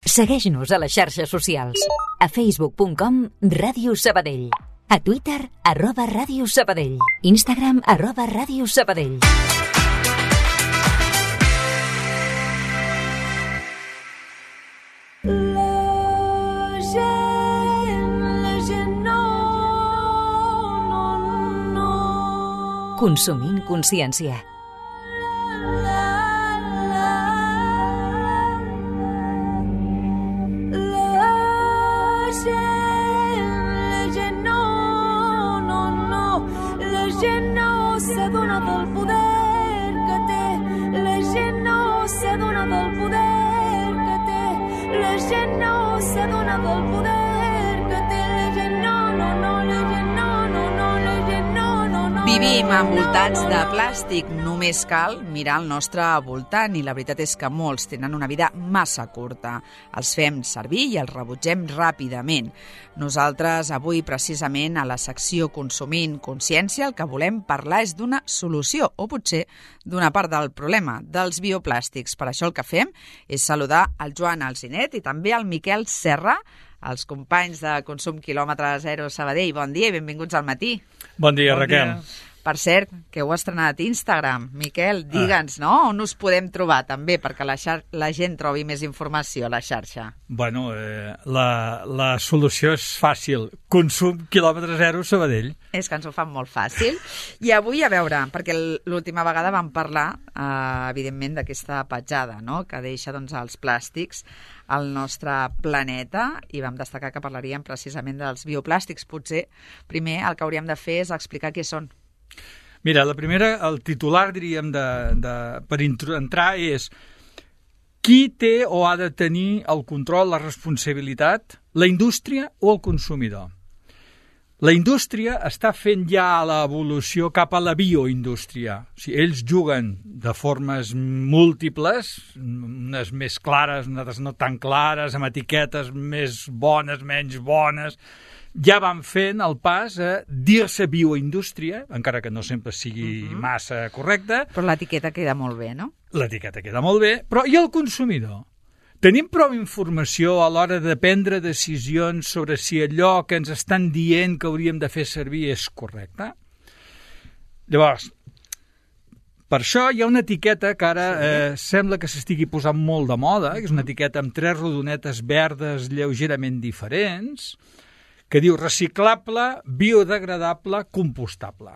Segueix-nos a les xarxes socials. A facebook.com/Ràdio Sabadell. A Twitter, @Ràdio Sabadell. Instagram, @Ràdio Sabadell. Consumint consciència. Vivim envoltats de plàstic, només cal mirar al nostre voltant i la veritat és que molts tenen una vida massa curta. Els fem servir i els rebutgem ràpidament. Nosaltres avui precisament a la secció Consumint Consciència el que volem parlar és d'una solució o potser d'una part del problema, dels bioplàstics. Per això el que fem és saludar el Joan Alsinet i també el Miquel Serra, els companys de Consum Quilòmetre Zero Sabadell. Bon dia i benvinguts al matí. Bon dia, Raquel. Per cert, que heu estrenat Instagram. Miquel, digue'ns, no? On us podem trobar també perquè la gent trobi més informació a la xarxa? Bueno, la solució és fàcil. Consum Quilòmetre Zero Sabadell. És que ens ho fan molt fàcil. I avui, a veure, perquè l'última vegada vam parlar, evidentment, d'aquesta petjada, no?, que deixa els plàstics al nostre planeta i vam destacar que parlaríem precisament dels bioplàstics. Potser, primer, el que hauríem de fer és explicar què són. Mira, la primera, el titular, diríem, per entrar és qui té o ha de tenir el control, la responsabilitat, la indústria o el consumidor? La indústria està fent ja l'evolució cap a la bioindústria. O sigui, ells juguen de formes múltiples, unes més clares, unes no tan clares, amb etiquetes més bones, menys bones. Ja van fent el pas a dir-se bioindústria, encara que no sempre sigui massa correcte. Però l'etiqueta queda molt bé, no? L'etiqueta queda molt bé, però i el consumidor? Tenim prou informació a l'hora de prendre decisions sobre si allò que ens estan dient que hauríem de fer servir és correcte? Llavors, per això hi ha una etiqueta que ara sembla que s'estigui posant molt de moda, que és una etiqueta amb 3 rodonetes verdes lleugerament diferents, que diu reciclable, biodegradable, compostable.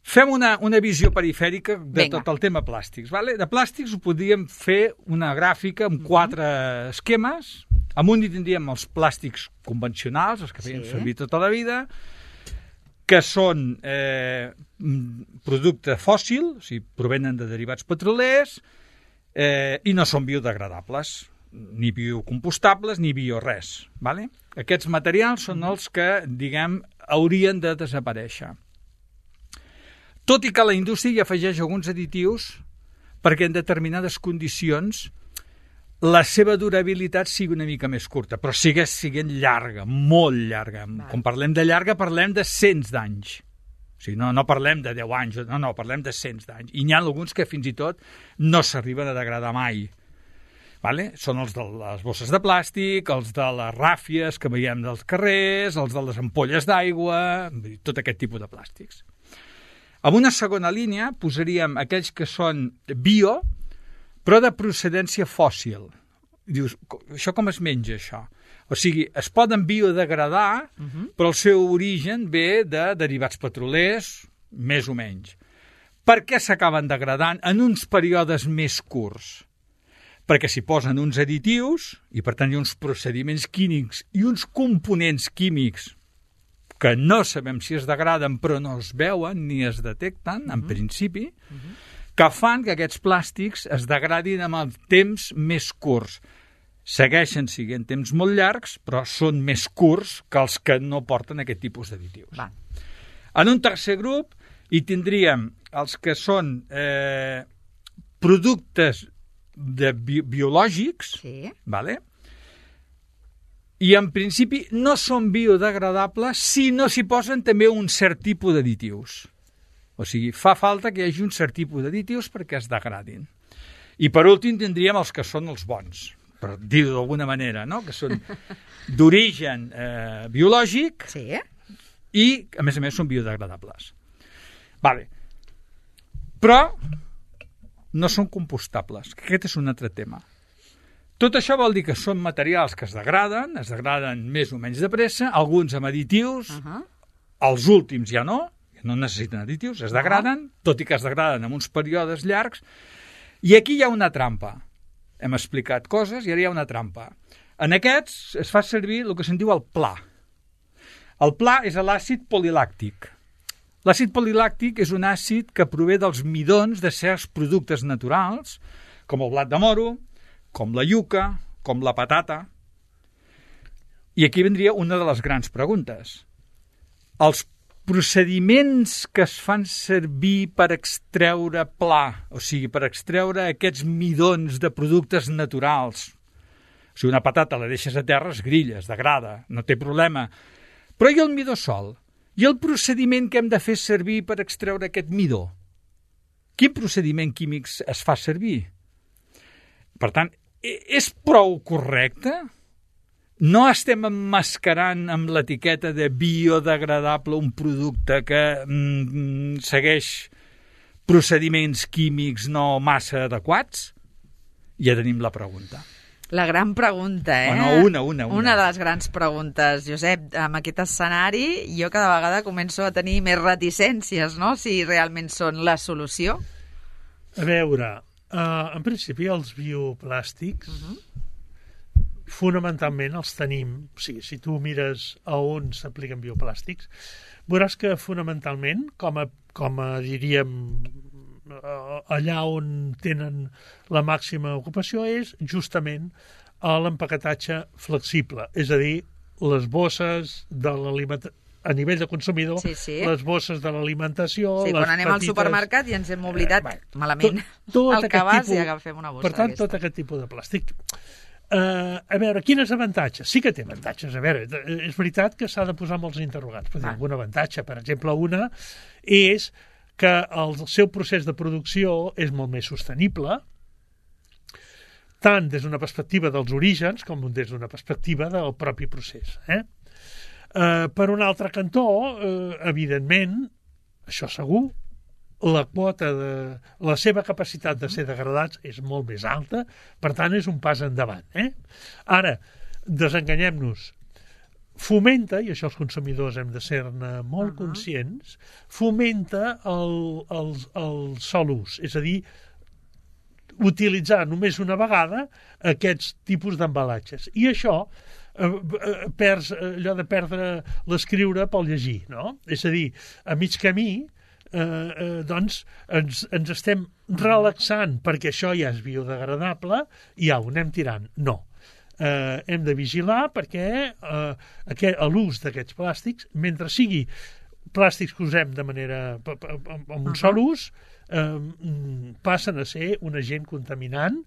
Fem una visió perifèrica de tot el tema plàstics. Vale? De plàstics ho podríem fer una gràfica amb 4 esquemes. Amb un hi tindríem els plàstics convencionals, els que feien servir tota la vida, que són producte fòssil, o sigui, provenen de derivats petrolers, i no són biodegradables, ni biocompostables, ni biores. Vale? Aquests materials són els que, diguem, haurien de desaparèixer. Tot i que la indústria hi afegeix alguns additius perquè en determinades condicions la seva durabilitat sigui una mica més curta, però segueix sent llarga, molt llarga. Quan parlem de llarga parlem de cents d'anys. O sigui, no parlem de 10 anys, no, parlem de cents d'anys. I n'hi ha alguns que fins i tot no s'arriben a degradar mai. Vale? Són els de les bosses de plàstic, els de les ràfies que veiem dels carrers, els de les ampolles d'aigua, tot aquest tipus de plàstics. En una segona línia posaríem aquells que són bio, però de procedència fòssil. Dius, això com es menja, això? O sigui, es poden biodegradar, però el seu origen ve de derivats petrolers, més o menys. Per què s'acaben degradant en uns períodes més curts? Perquè s'hi posen uns additius, i per tant hi ha uns procediments químics i uns components químics que no sabem si es degraden però no es veuen ni es detecten, en principi, que fan que aquests plàstics es degradin amb els temps més curts. Segueixen sent temps molt llargs, però són més curts que els que no porten aquest tipus d'additius. En un tercer grup hi tindríem els que són productes biològics, vale? I en principi no són biodegradables si no s'hi posen també un cert tipus d'additius. O sigui, fa falta que hi hagi un cert tipus d'additius perquè es degradin. I per últim tindríem els que són els bons, per dir-ho d'alguna manera, no? Que són d'origen biològic i, a més, són biodegradables. Vale. Però no són compostables. Aquest és un altre tema. Tot això vol dir que són materials que es degraden més o menys de pressa, alguns amb additius, els últims ja no necessiten additius, es degraden, tot i que es degraden en uns períodes llargs, i aquí hi ha una trampa. Hem explicat coses i ara hi ha una trampa. En aquests es fa servir el que se'n diu el pla. El pla és l'àcid polilàctic. L'àcid polilàctic és un àcid que prové dels midons de certs productes naturals, com el blat de moro, com la iuca, com la patata. I aquí vendria una de les grans preguntes. Els procediments que es fan servir per extreure pla, o sigui, per extreure aquests midons de productes naturals. O sigui, una patata la deixes a terra, es grilla, es degrada, no té problema. Però i el midó sol? I el procediment que hem de fer servir per extreure aquest midó? Quin procediment químic es fa servir? Per tant, és prou correcte? No estem emmascarant amb l'etiqueta de biodegradable un producte que segueix procediments químics no massa adequats? Ja tenim la pregunta. La gran pregunta, Una. Una de les grans preguntes. Josep, amb aquest escenari jo cada vegada començo a tenir més reticències, no?, si realment són la solució. A veure, en principi els bioplàstics fonamentalment els tenim, o sigui, si tu mires a on s'apliquen bioplàstics, veuràs que fonamentalment, com a diríem, allà on tenen la màxima ocupació és justament a l'empaquetatge flexible, és a dir, les bosses de l'alimentació, a nivell de consumidor, les bosses de l'alimentació... Sí, quan anem al supermercat i ens hem oblidat malament el cabàs i agafem una bossa. Per tant, tot aquest tipus de plàstic. A veure, quins avantatges? Sí que té avantatges. A veure, és veritat que s'ha de posar molts interrogants. Però algun avantatge, per exemple, una és que el seu procés de producció és molt més sostenible, tant des d'una perspectiva dels orígens com des d'una perspectiva del propi procés. Per un altre cantó, evidentment, això segur, la quota de la seva capacitat de ser degradats és molt més alta, per tant és un pas endavant. Ara, desenganyem-nos, fomenta, i això els consumidors hem de ser-ne molt conscients, fomenta el sol ús, és a dir, utilitzar només una vegada aquests tipus d'embalatges. I això perds allò de perdre l'escriure pel llegir, no? És a dir, a mig camí doncs ens estem relaxant perquè això ja és biodegradable i ja ho anem tirant. No. Hem de vigilar perquè l'ús d'aquests plàstics, mentre sigui plàstics que usem de manera amb un sol ús, passen a ser un agent contaminant,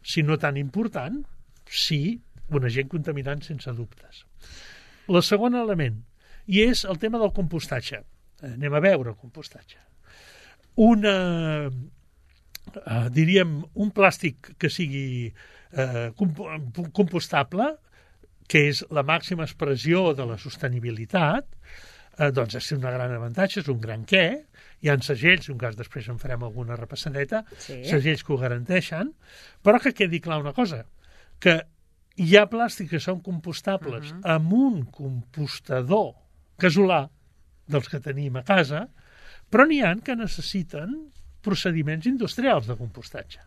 si no tan important, sí, un agent contaminant sense dubtes. El segon element, i és el tema del compostatge. Anem a veure el compostatge. Diríem, un plàstic que sigui compostable, que és la màxima expressió de la sostenibilitat, doncs és un gran avantatge, és un gran què. Hi ha segells, un cas després en farem alguna repassadeta, segells que ho garanteixen, però que quedi clar una cosa, que hi ha plàstics que són compostables amb un compostador casolà dels que tenim a casa, però n'hi ha que necessiten procediments industrials de compostatge.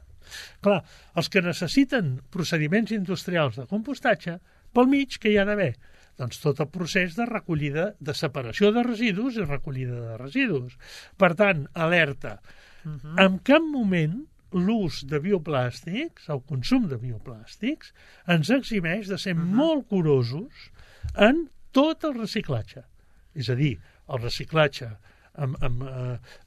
Clar, els que necessiten procediments industrials de compostatge, pel mig que hi ha d'haver? Doncs tot el procés de recollida, de separació de residus i recollida de residus. Per tant, alerta, en cap moment l'ús de bioplàstics, el consum de bioplàstics, ens eximeix de ser molt curosos en tot el reciclatge. És a dir, el reciclatge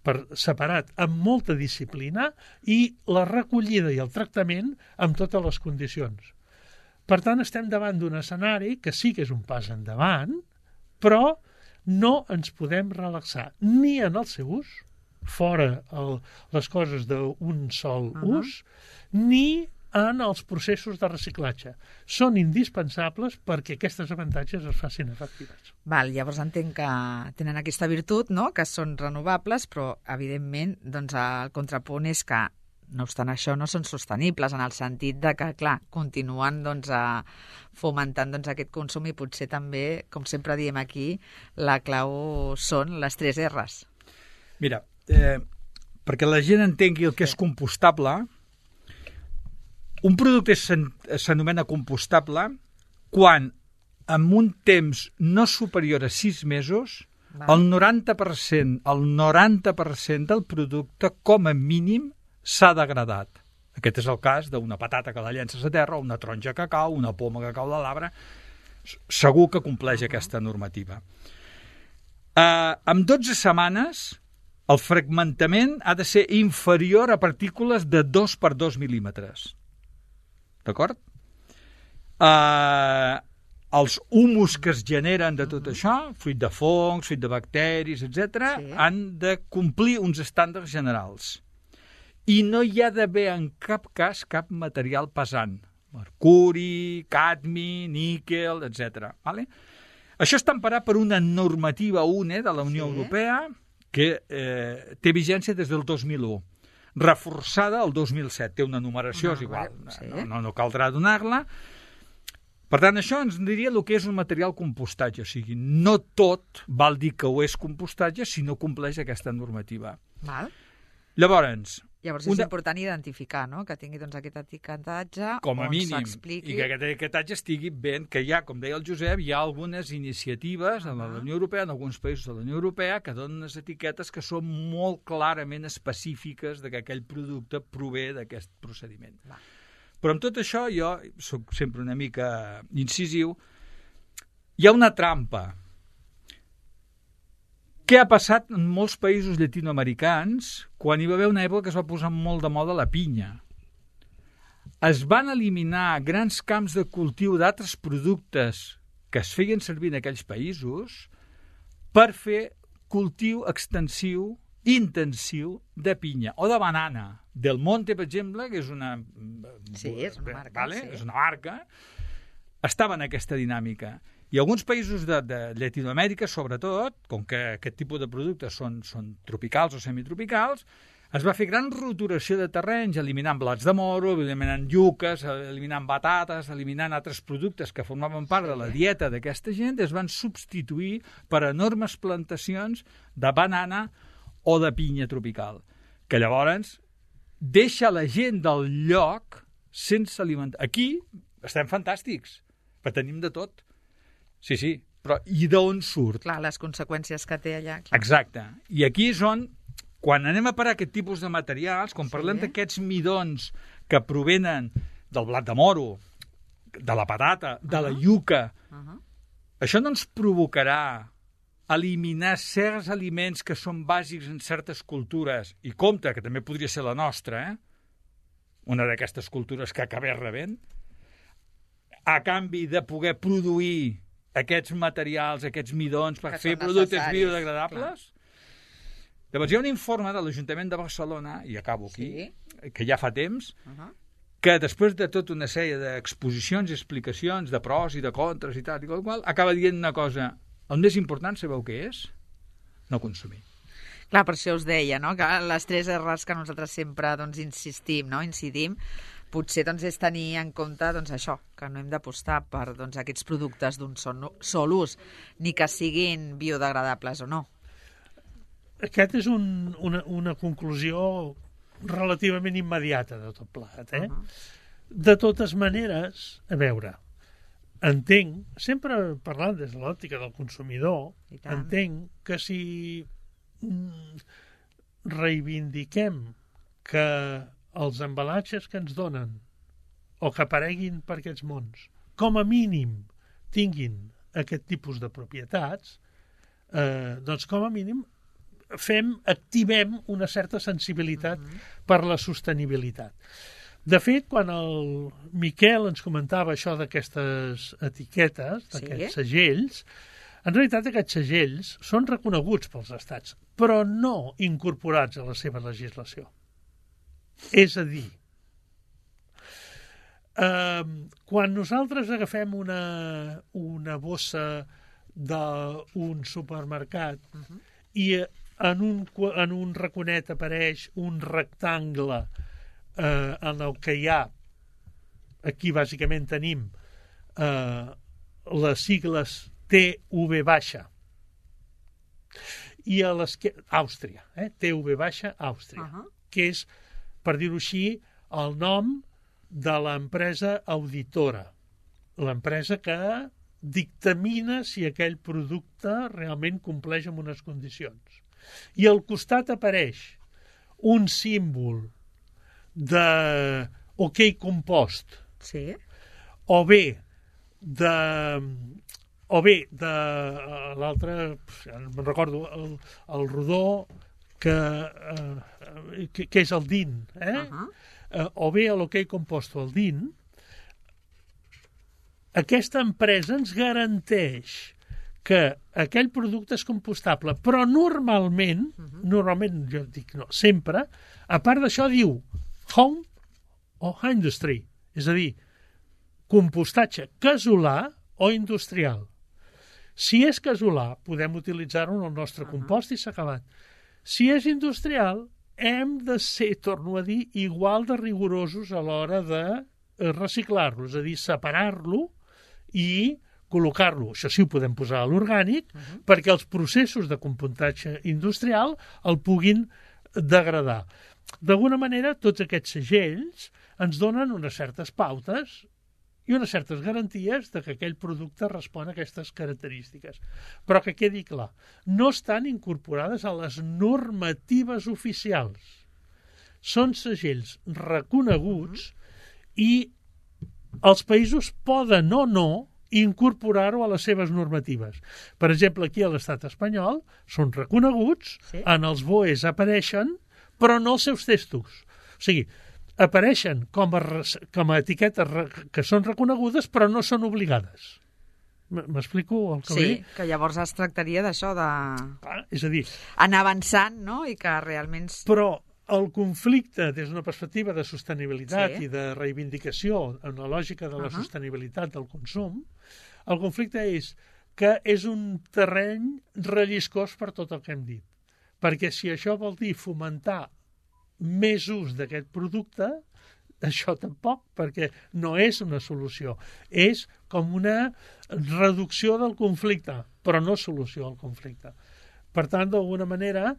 per separat amb molta disciplina i la recollida i el tractament amb totes les condicions. Per tant, estem davant d'un escenari que sí que és un pas endavant, però no ens podem relaxar ni en el seu ús, fora les coses d'un sol ús, ni en els processos de reciclatge. Són indispensables perquè aquestes avantatges es facin efectives. Val, llavors entenc que tenen aquesta virtut, no?, que són renovables, però, evidentment, doncs, el contrapunt és que, no obstant això, no són sostenibles, en el sentit de que, clar, continuen doncs, fomentant doncs, aquest consum i potser també, com sempre diem aquí, la clau són les 3 R's. Mira, perquè la gent entengui el que és compostable, un producte s'anomena compostable quan en un temps no superior a 6 mesos el 90% del producte com a mínim s'ha degradat. Aquest és el cas d'una patata que la llences a terra, una taronja que cau, una poma que cau de l'arbre. Segur que compleix aquesta normativa. En 12 setmanes el fragmentament ha de ser inferior a partícules de 2 per 2 mil·límetres. D'acord? Els humus que es generen de tot això, fruit de fongs, fruit de bacteris, etc., han de complir uns estàndards generals. I no hi ha d'haver en cap cas cap material pesant. Mercuri, cadmi, níquel, etc. Vale? Això està emparat per una normativa UNE de la Unió Europea que té vigència des del 2001. Reforçada el 2007. Té una numeració, és igual. No caldrà donar-la. Per tant, això ens diria el que és un material compostatge. O sigui, no tot val dir que ho és compostatge si no compleix aquesta normativa. Val. Llavors és important identificar, no?, que tingui doncs, aquest etiquetatge com a mínim, s'expliqui. I que aquest etiquetatge estigui ben, que hi ha, com deia el Josep, hi ha algunes iniciatives de la Unió Europea, en alguns països de la Unió Europea, que donen unes etiquetes que són molt clarament específiques de que aquell producte prové d'aquest procediment. Va. Però amb tot això, jo soc sempre una mica incisiu, hi ha una trampa. Què ha passat en molts països llatinoamericans quan hi va haver una època que es va posar molt de moda la pinya? Es van eliminar grans camps de cultiu d'altres productes que es feien servir en aquells països per fer cultiu extensiu, intensiu de pinya o de banana. Del Monte, per exemple, que és una... Sí, és una marca. Vale? És una marca. Estava en aquesta dinàmica. I alguns països de Llatinoamèrica, sobretot, com que aquest tipus de productes són tropicals o semitropicals, es va fer gran roturació de terrenys, eliminant blats de moro, eliminant lluques, eliminant batates, eliminant altres productes que formaven part de la dieta d'aquesta gent, es van substituir per enormes plantacions de banana o de pinya tropical, que llavors deixa la gent del lloc sense alimentar. Aquí estem fantàstics, però tenim de tot. Sí, però i d'on surt? Clar, les conseqüències que té allà. Clar. Exacte. I aquí és on, quan anem a parar aquest tipus de materials, quan parlem d'aquests midons que provenen del blat de moro, de la patata, de la lluca, això no ens provocarà eliminar certs aliments que són bàsics en certes cultures, i compte, que també podria ser la nostra, una d'aquestes cultures que acabés rebent, a canvi de poder produir aquests materials, aquests midons, per fer productes biodegradables? Llavors hi ha un informe de l'Ajuntament de Barcelona, i acabo aquí, que ja fa temps, que després de tota una sèrie d'exposicions i explicacions de pros i de contres i tal, acaba dient una cosa: el més important, sabeu què és? No consumir. Clar, per això us deia, no?, que les 3 R's que nosaltres sempre incidim, potser és tenir en compte això, que no hem d'apostar per aquests productes d'un sol ús, ni que siguin biodegradables o no. Aquest és una conclusió relativament immediata de tot plegat. De totes maneres, a veure, entenc, sempre parlant des de l'òptica del consumidor, entenc que si reivindiquem que els embalatges que ens donen o que apareguin per aquests mons, com a mínim tinguin aquest tipus de propietats, doncs com a mínim activem una certa sensibilitat per la sostenibilitat. De fet, quan el Miquel ens comentava això d'aquestes etiquetes, d'aquests segells, en realitat aquests segells són reconeguts pels estats, però no incorporats a la seva legislació. És a dir, Quan nosaltres agafem una bossa d'un supermercat i en un raconet apareix un rectangle en el que hi ha, aquí bàsicament tenim les sigles TV baixa i a l'esquerra Àustria, TV baixa Àustria, que és, per dir-ho així, el nom de l'empresa auditora, l'empresa que dictamina si aquell producte realment compleix amb unes condicions. I al costat apareix un símbol de OK Compost, sí, o bé de l'altre, no me'n recordo, el rodó que és el DIN, o bé l'OK Compost o el DIN. Aquesta empresa ens garanteix que aquell producte és compostable, però normalment, jo dic no, sempre, a part d'això diu home o industry, és a dir, compostatge casolà o industrial. Si és casolà, podem utilitzar-ho en el nostre compost i s'ha acabat. Si és industrial, hem de ser, torno a dir, igual de rigorosos a l'hora de reciclar-lo, és a dir, separar-lo i col·locar-lo. Això sí ho podem posar a l'orgànic perquè els processos de compostatge industrial el puguin degradar. D'alguna manera, tots aquests segells ens donen unes certes pautes i unes certes garanties de que aquell producte respon a aquestes característiques. Però que quedi clar, no estan incorporades a les normatives oficials. Són segells reconeguts i els països poden o no incorporar-ho a les seves normatives. Per exemple, aquí a l'estat espanyol són reconeguts, en els BOEs apareixen, però no els seus textos. O sigui, apareixen com a etiquetes que són reconegudes, però no són obligades. M'explico el que vull dir? Sí, que llavors es tractaria d'això, és a dir, anar avançant, no?, i que realment... Però el conflicte, des d'una perspectiva de sostenibilitat i de reivindicació en la lògica de la sostenibilitat del consum, el conflicte és que és un terreny relliscós per tot el que hem dit. Perquè si això vol dir fomentar més ús d'aquest producte, això tampoc, perquè no és una solució. És com una reducció del conflicte, però no solució al conflicte. Per tant, d'alguna manera,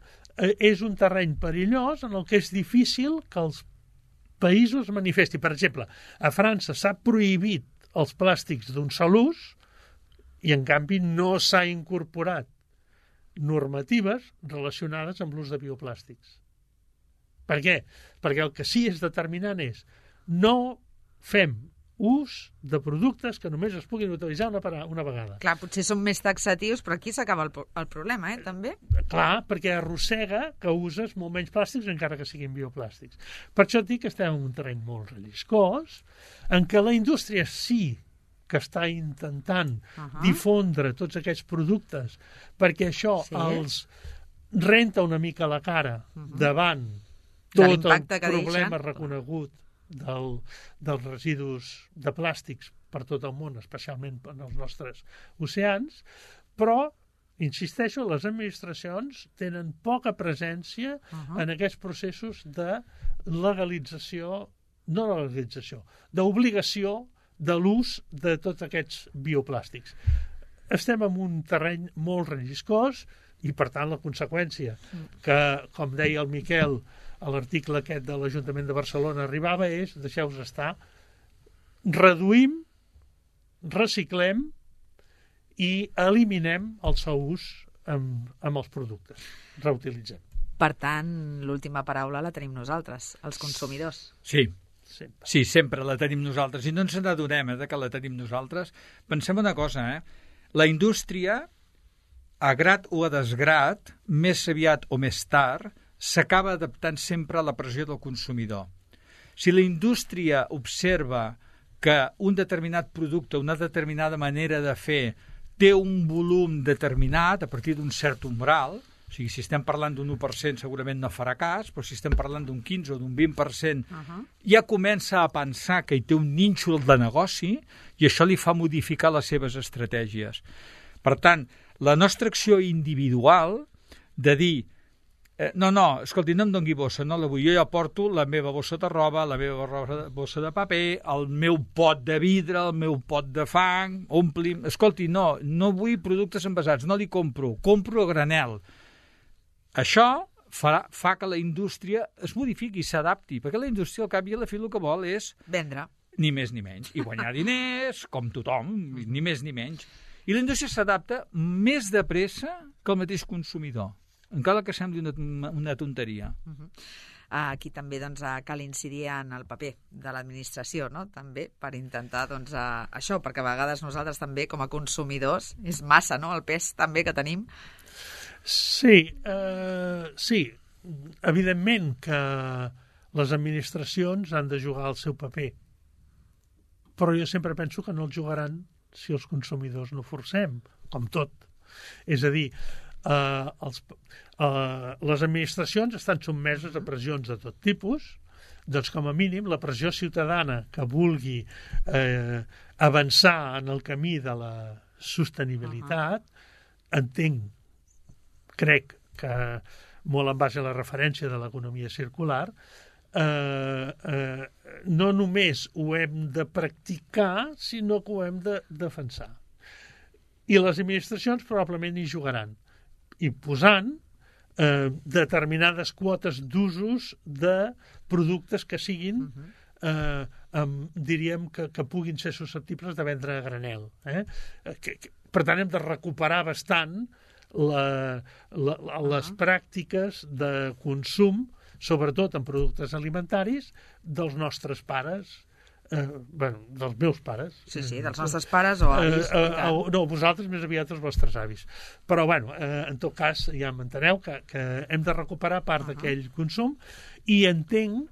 és un terreny perillós en el que és difícil que els països manifestin. Per exemple, a França s'ha prohibit els plàstics d'un sol ús i, en canvi, no s'ha incorporat normatives relacionades amb l'ús de bioplàstics. Per què? Perquè el que sí és determinant és no fem ús de productes que només es puguin utilitzar una vegada. Clar, potser són més taxatius, però aquí s'acaba el problema, també. Clar, perquè arrossega que uses molt menys plàstics encara que siguin bioplàstics. Per això et dic que estem en un terreny molt relliscós, en què la indústria sí que està intentant difondre tots aquests productes perquè això els renta una mica la cara davant tot el problema reconegut dels residus de plàstics per tot el món, especialment en els nostres oceans, però, insisteixo, les administracions tenen poca presència en aquests processos de legalització, no legalització, d'obligació de l'ús de tots aquests bioplàstics. Estem en un terreny molt relliscós i, per tant, la conseqüència que, com deia el Miquel, a l'article aquest de l'Ajuntament de Barcelona arribava és, deixeu-vos estar, reduïm, reciclem i eliminem el seu ús amb els productes. Reutilitzem. Per tant, l'última paraula la tenim nosaltres, els consumidors. Sí, sempre la tenim nosaltres. I no ens n'adonem que la tenim nosaltres. Pensem una cosa, la indústria, a grat o a desgrat, més aviat o més tard, s'acaba adaptant sempre a la pressió del consumidor. Si la indústria observa que un determinat producte, una determinada manera de fer, té un volum determinat a partir d'un cert umbral, O sigui, si estem parlant d'un 1% segurament no farà cas, però si estem parlant d'un 15 o d'un 20%, ja comença a pensar que hi té un nínxol de negoci i això li fa modificar les seves estratègies. Per tant, la nostra acció individual de dir no, escolti, no em doni bossa, no la vull, jo ja porto la meva bossa de roba, la meva bossa de paper, el meu pot de vidre, el meu pot de fang, omplim... Escolti, no vull productes envasats, no li compro a granel. Això fa que la indústria es modifiqui i s'adapti, perquè la indústria al cap i a la fi el que vol és... Vendre. Ni més ni menys. I guanyar diners, com tothom, ni més ni menys. I la indústria s'adapta més de pressa que el mateix consumidor, encara que sembli una tonteria. Aquí també cal incidir en el paper de l'administració, no? També per intentar això, perquè a vegades nosaltres també com a consumidors és massa, no?, el pes també que tenim. Sí, evidentment que les administracions han de jugar el seu paper, però jo sempre penso que no el jugaran si els consumidors no forcem, com tot. És a dir, les administracions estan sotmeses a pressions de tot tipus, doncs com a mínim la pressió ciutadana que vulgui avançar en el camí de la sostenibilitat, crec que molt en base a la referència de l'economia circular, no només ho hem de practicar, sinó que ho hem de defensar. I les administracions probablement hi jugaran, i posant determinades quotes d'usos de productes que siguin, diríem, que puguin ser susceptibles de vendre a granel. Per tant, hem de recuperar bastant les pràctiques de consum, sobretot en productes alimentaris, dels nostres pares, dels meus pares. Sí, dels nostres pares o avis. No, vosaltres més aviat els vostres avis. Però, en tot cas, ja m'enteneu que hem de recuperar part d'aquell consum, i entenc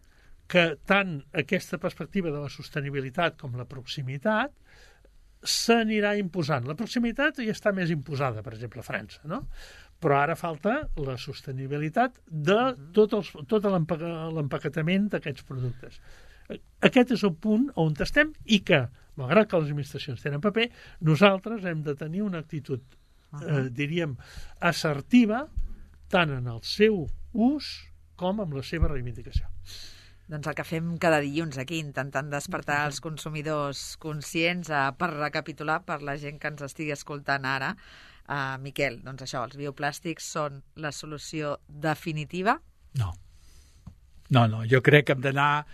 que tant aquesta perspectiva de la sostenibilitat com la proximitat s'anirà imposant. La proximitat ja està més imposada, per exemple, a França, no? Però ara falta la sostenibilitat de tot l'empaquetament d'aquests productes. Aquest és el punt on estem, i que, malgrat que les administracions tenen paper, nosaltres hem de tenir una actitud, diríem, assertiva, tant en el seu ús com en la seva reivindicació. Doncs el que fem cada dilluns aquí, intentant despertar els consumidors conscients, per recapitular, per la gent que ens estigui escoltant ara, Miquel, doncs això, els bioplàstics són la solució definitiva? No, jo crec que hem d'anar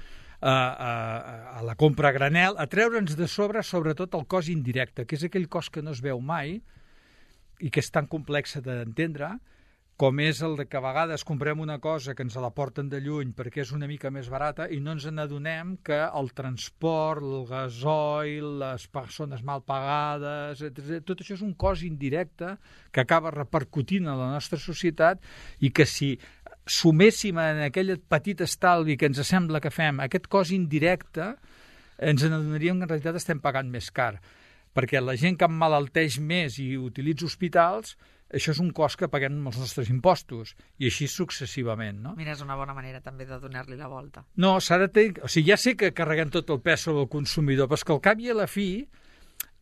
a la compra a granel, a treure'ns de sobre, sobretot el cost indirecte, que és aquell cost que no es veu mai i que és tan complex d'entendre, com és el que a vegades comprem una cosa que ens la porten de lluny perquè és una mica més barata i no ens n'adonem que el transport, el gasoil, les persones mal pagades, tot això és un cost indirecte que acaba repercutint en la nostra societat, i que si suméssim en aquell petit estalvi que ens sembla que fem aquest cost indirecte, ens n'adonaríem que en realitat estem pagant més car, perquè la gent que emmalalteix més i utilitza hospitals, això és un cost que paguem amb els nostres impostos, i així successivament, no? Mira, és una bona manera també de donar-li la volta. No, s'ha de tenir... O sigui, ja sé que carreguem tot el pes sobre el consumidor, però és que al cap i a la fi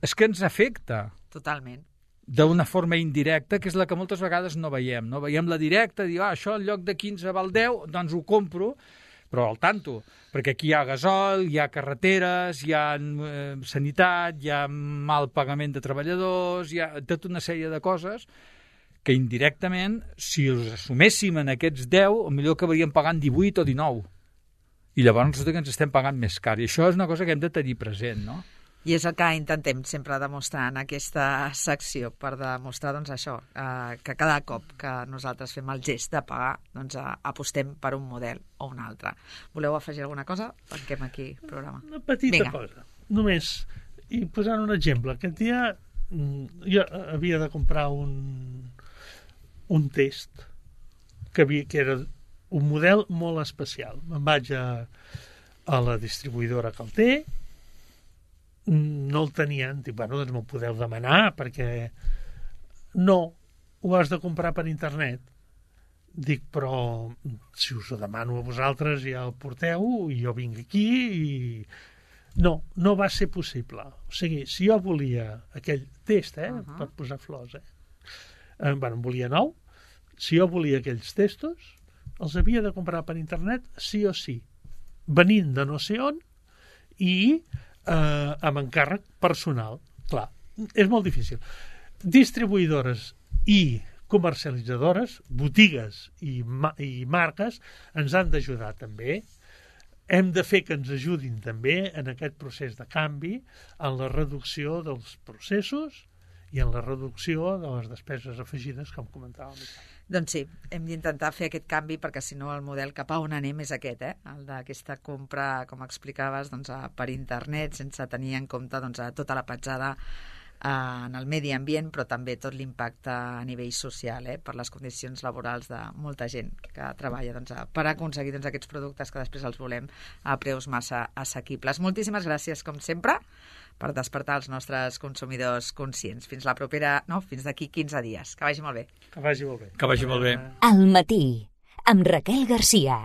és que ens afecta. Totalment. D'una forma indirecta, que és la que moltes vegades no veiem, no? Veiem la directa, dir, això en lloc de 15 val 10, doncs ho compro, però al tanto, perquè aquí hi ha gasol, hi ha carreteres, hi ha sanitat, hi ha mal pagament de treballadors, hi ha tota una sèrie de coses que indirectament, si els assuméssim en aquests 10, millor acabaríem pagant 18 o 19. I llavors resulta que ens estem pagant més car. I això és una cosa que hem de tenir present, no? I és el que intentem sempre demostrar en aquesta secció, per demostrar doncs, això, que cada cop que nosaltres fem el gest de pagar, doncs, apostem per un model o un altre. Voleu afegir alguna cosa? Tanquem aquí el programa. Una petita cosa, només, i posant un exemple. Aquest dia jo havia de comprar un test que era un model molt especial. Me'n vaig a la distribuïdora que el té, no el tenien, dic, doncs m'ho podeu demanar, perquè no, ho has de comprar per internet. Dic, però si us ho demano a vosaltres ja el porteu i jo vinc aquí i... No va ser possible. O sigui, si jo volia aquell test, per posar flors, en volia 9, si jo volia aquells testos, els havia de comprar per internet sí o sí, venint de no sé on i amb encàrrec personal. Clar, és molt difícil. Distribuïdores i comercialitzadores, botigues i marques ens han d'ajudar també. Hem de fer que ens ajudin també en aquest procés de canvi, en la reducció dels processos i en la reducció de les despeses afegides, com comentàvem. Doncs sí, hem d'intentar fer aquest canvi perquè si no el model cap a on anem és aquest, el d'aquesta compra, com explicaves, per internet, sense tenir en compte tota la petjada en el medi ambient, però també tot l'impacte a nivell social, per les condicions laborals de molta gent que treballa per aconseguir aquests productes que després els volem a preus massa assequibles. Moltíssimes gràcies, com sempre, per despertar els nostres consumidors conscients. Fins la propera, fins d'aquí 15 dies. Que vagi molt bé. Que vagi molt bé. Que vagi molt bé. Al matí, amb Raquel Garcia.